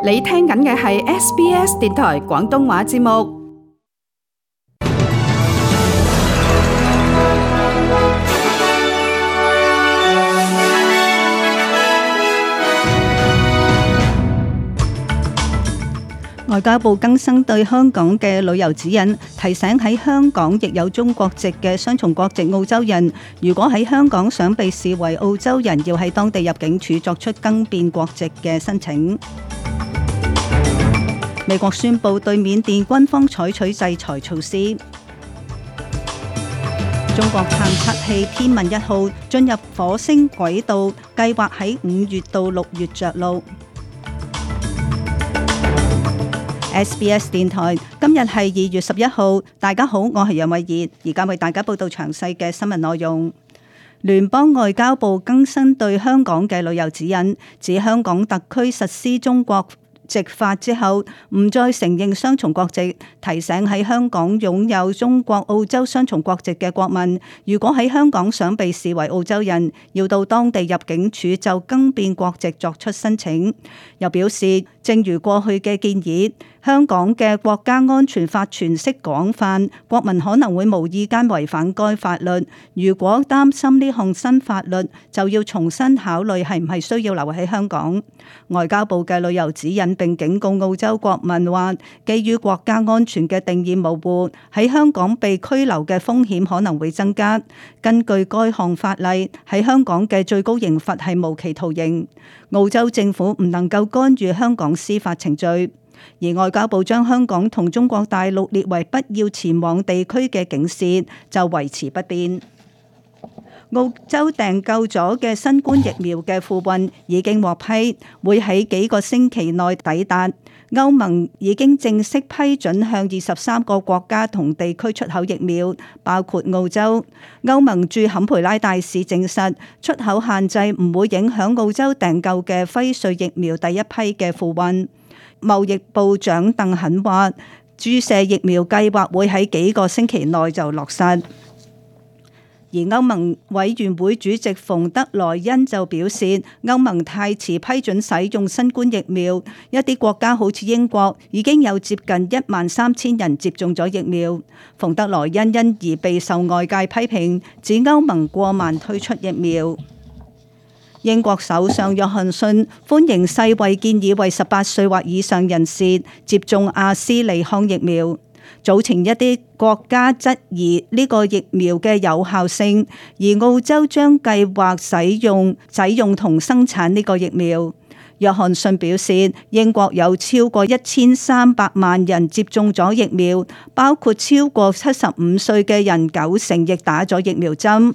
你聽緊嘅係 SBS 電台廣東話節目。外交部更新對香港嘅旅遊指引，提醒喺香港亦有中國籍嘅雙重國籍澳洲人，如果喺香港想被視為澳洲人，要喺當地入境處作出更變國籍嘅申請。美國宣布對緬甸軍方採取制裁措施。中國探測器天問1號進入火星軌道，計劃喺5月到6月着陸。SBS 電台今日係2月11號，大家好，我係楊慧儀，而家為大家報道詳細嘅新聞內容。聯邦外交部更新對香港嘅旅遊指引，指香港特區實施中國籍法之後，唔再承認雙重國籍，提醒喺香港擁有中國澳洲雙重國籍嘅國民，如果喺香港想被視為澳洲人，要到當地入境處就更變國籍作出申請。又表示，正如過去嘅建議，香港嘅國家安全法詮釋廣泛，國民可能會無意間違反該法律。如果擔心呢項新法律，就要重新考慮係唔係需要留喺香港。外交部嘅旅遊指引並警告澳洲國民話，基於國家安全嘅定義模糊，喺香港被拘留嘅風險可能會增加。根據該項法例，喺香港嘅最高刑罰係無期徒刑。澳洲政府唔能夠干預香港司法程序，而外交部將香港同中國大陸列為不要前往地區嘅警示就維持不變。澳洲訂購咗嘅新冠疫苗嘅付運已經獲批，會喺幾個星期內抵達。歐盟已經正式批准向23個國家同地區出口疫苗，包括澳洲。歐盟駐坎培拉大使證實，出口限制唔會影響澳洲訂購嘅輝瑞疫苗第一批嘅付運。貿易部長鄧肯話，注射疫苗計劃會喺幾個星期內就落實。而歐盟委員會主席馮德萊恩就表示，歐盟太遲批准使用新冠疫苗，一啲國家好似英國已經有接近13000人接種咗疫苗。馮德萊恩因而備受外界批評，指歐盟過慢推出疫苗。英國首相約翰遜歡迎世衛建議為18歲或以上人士接種阿斯利康疫苗。早前一啲國家質疑呢個疫苗嘅有效性，而澳洲將計劃使用同生產呢個疫苗。約翰遜表示，英國有超過1300萬人接種咗疫苗，包括超過75歲嘅人90%亦打咗疫苗針。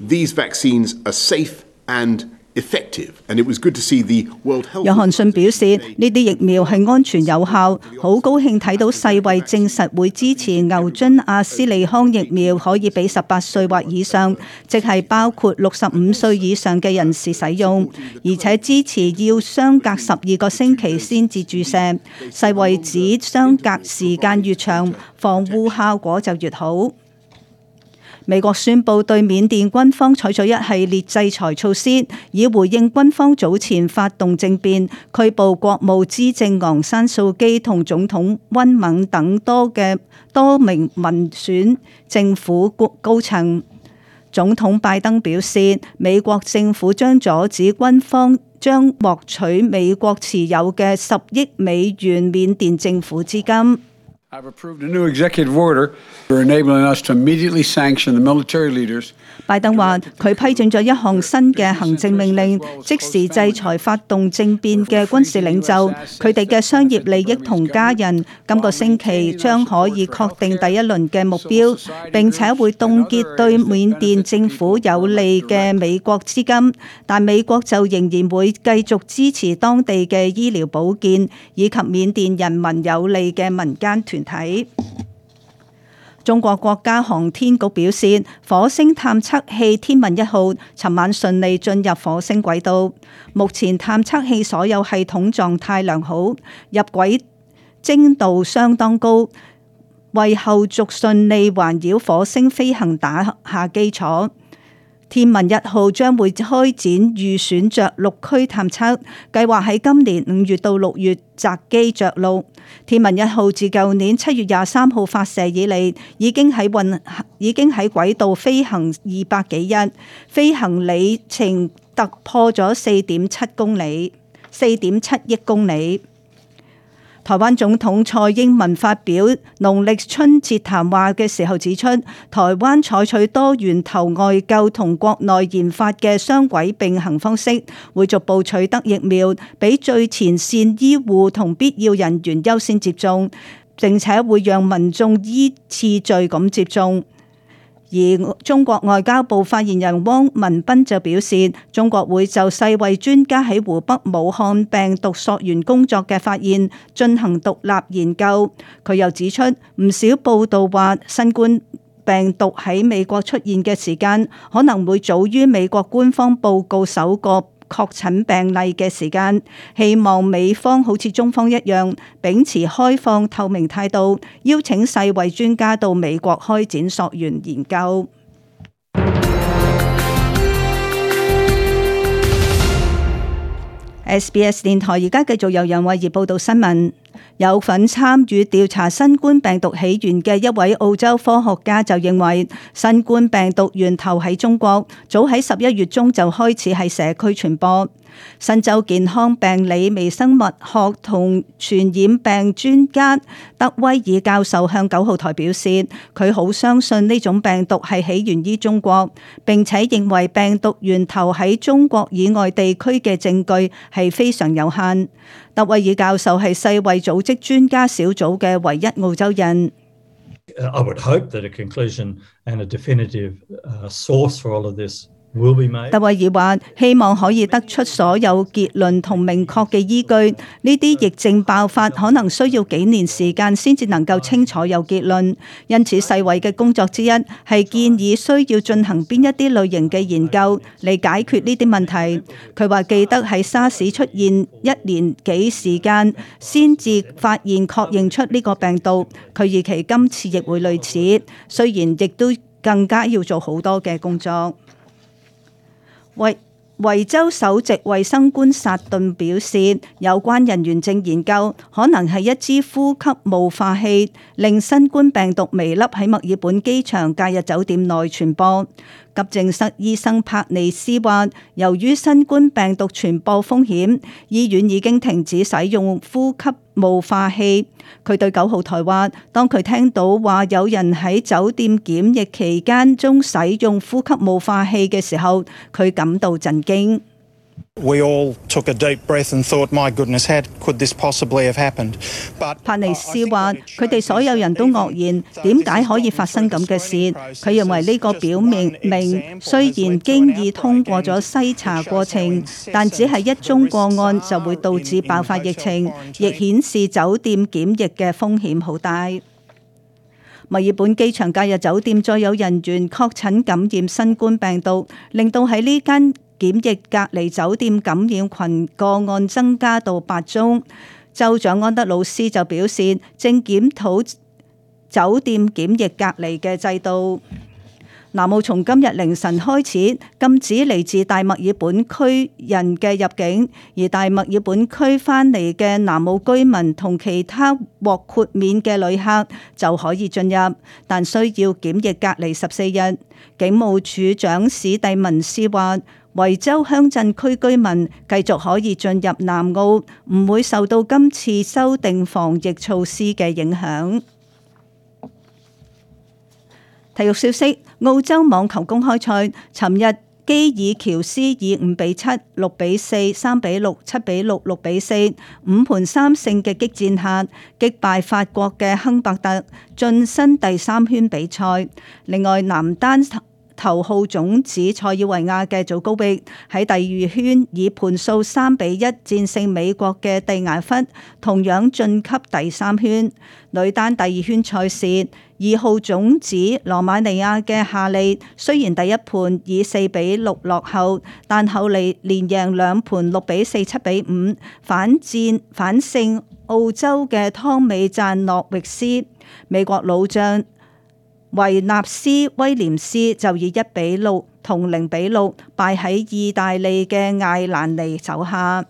These vaccines are safe and effective, and it was good to see the World Health. 約翰遜表示，呢啲疫苗係安全有效，好高興睇到世衛證實會支持牛津阿斯利康疫苗可以俾18歲或以上，即係包括65歲以上嘅人士使用，而且支持要相隔12個星期先至注射。世衛指相隔時間越長，防護效果就越好。美國宣布對緬甸軍方採取一系列制裁措施，以回應軍方早前發動政變，拘捕國務資政昂山素基同總統溫敏等多名民選政府高層。總統拜登表示，美國政府將阻止軍方將獲取美國持有嘅10億美元緬甸政府資金。I've approved a new executive order enabling us to immediately sanction the military leaders. 拜登話佢批准咗一項新嘅行政命令，即時制裁發動政變嘅軍事領袖，佢哋嘅商業利益同家人。今個星期將可以確定第一輪嘅目標，並且會凍結對緬甸政府有利嘅美國資金，但美國就仍然會繼續支持當地嘅醫療保健以及緬甸人民有利嘅民間團體。中國國家航天局表示，火星探測器天問1號尋晚順利進入火星軌道，目前探測器所有系統狀態良好，入軌精度相當高，為後續順利環繞火星飛行打下基礎。天問1號將會開展預選着陸區探測，計劃喺今年5月到6月擇機着陸。天問1號自舊年7月23號發射以嚟，已經喺軌道飛行200幾日，飛行里程突破咗4.7億公里。台灣總統蔡英文發表農曆春節談話嘅時候指出，台灣採取多源頭外購同國內研發嘅雙軌並行方式，會逐步取得疫苗，俾最前線醫護同必要人員優先接種，並且會讓民眾依次序咁接種。而中國外交部發言人汪文斌就表示，中國會就世衛專家喺湖北武漢病毒溯源工作嘅發現進行獨立研究。佢又指出，唔少報道話新冠病毒喺美國出現嘅時間可能會早於美國官方報告首個確診病例嘅時間，希望美方好似中方一樣，秉持開放透明態度，邀請世衛專家到美國開展溯源研究。SBS 電台而家繼續由楊慧儀報道新聞。有份參與調查新冠病毒起源嘅一位澳洲科學家就認為，新冠病毒源頭喺中國，早喺11月中就開始喺社區傳播。新州健康病理微生物學同傳染病專家德威爾教授向9號台表示，佢好相信呢種病毒係起源於中國，並且認為病毒源頭喺中國以外地區嘅證據係非常有限。德威爾教授係世衛組織專家小組嘅唯一澳洲人。I would hope that a conclusion and a definitive source for all of this will be made. 德威爾話：希望可以得出所有結論同明確嘅依據。呢啲疫症爆發可能需要幾年時間先至能夠清楚有結論。因此，世衛嘅工作之一係建議需要進行邊一啲類型嘅研究嚟解決呢啲問題。佢話記得喺沙士出現1年幾時間先至發現確認出呢個病毒。佢預期今次亦會類似，雖然亦都更加要做好多嘅工作。維州首席衛生官薩頓表示，有關人員正研究可能係一支呼吸霧化器，令新冠病毒微粒喺墨爾本機場假日酒店內傳播。急症室醫生帕尼斯話，由於新冠病毒傳播風險，醫院已經停止使用呼吸霧化器。佢對9號台話，當佢聽到話有人喺酒店檢疫期間中使用呼吸霧化器嘅時候，佢感到震驚。We all took a deep breath and thought, my goodness, how could this possibly have happened? But 帕尼斯話，佢哋所有人都愕然，點解可以發生咁嘅事？佢認為呢個表明雖然經已通過咗篩查過程，但只係一宗個案就會導致爆發疫情，亦顯示酒店檢疫嘅風險好大。墨爾本機場假日酒店再有人員確診感染新冠病毒，令到喺呢間檢疫隔離酒店感染群個案增加到8宗。州長安德魯斯就表示，正檢討酒店檢疫隔離嘅制度。南澳從今日凌晨開始禁止嚟自大墨爾本區人嘅入境，而大墨爾本區返嚟嘅南澳居民同其他獲豁免嘅旅客就可以進入，但需要檢疫隔離14日。警務處長史蒂文斯話，維州鄉鎮區居民繼續可以進入南澳，唔會受到今次修訂防疫措施嘅影響。體育消息：澳洲網球公開賽，尋日基爾喬斯以5-7、6-4、3-6、7-6、6-4 5盤3勝嘅激戰下，擊敗法國嘅亨伯特，晉身第3圈比賽。另外，男單頭號種子塞爾維亞嘅祖高域喺第2圈以盤數3-1戰勝美國嘅蒂亞弗，同樣晉級第3圈。女單第2圈賽事，2號種子羅馬尼亞嘅夏利雖然第一盤以4-6落後，但後嚟連贏2盤6-4、7-5，反勝澳洲嘅湯美贊諾域斯。美國老將維納斯威廉斯就以1-6同0-6敗喺意大利嘅艾蘭尼手下。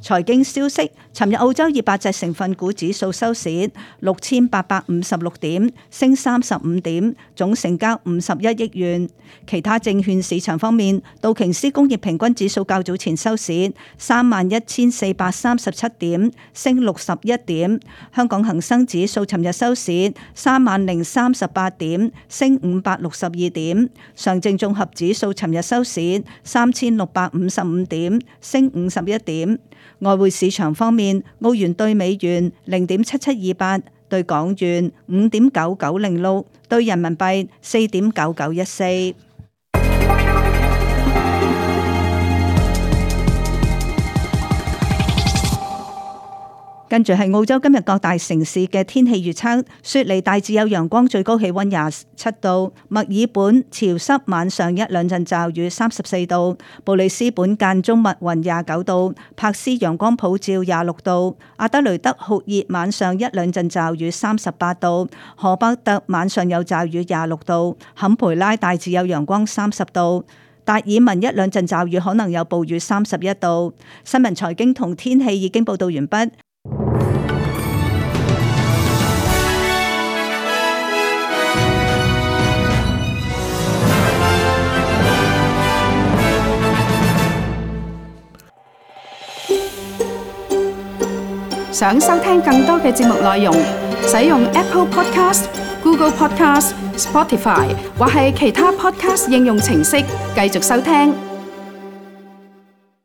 財經消息，尋日澳洲200隻成分股指數收市6856點，升35點，總成交51億元。其他證券市場方面，道瓊斯工業平均指數較早前收市31437點，升61點。香港恒生指數尋日收市30038點，升562點。上證綜合指數尋日收市3655點，升51點。外匯市場方面，澳元兌美元0.7728，兌港元5.9906，兌人民幣4.9914。跟住係澳洲今日各大城市嘅天氣預測：雪梨大致有陽光，最高氣溫27度；墨爾本潮濕，晚上1-2陣驟雨，34度；布里斯本間中密雲29度；柏斯陽光普照26度；阿德雷德酷熱，晚上1-2陣驟雨38度；荷伯特晚上有驟雨26度；坎培拉大致有陽光30度；達爾文1-2陣驟雨，可能有暴雨31度。新聞財經同天氣已經報道完畢。想收聽更多嘅節目內容，使用 Apple Podcast、Google Podcast、Spotify 或係其他 Podcast 應用程式繼續收聽。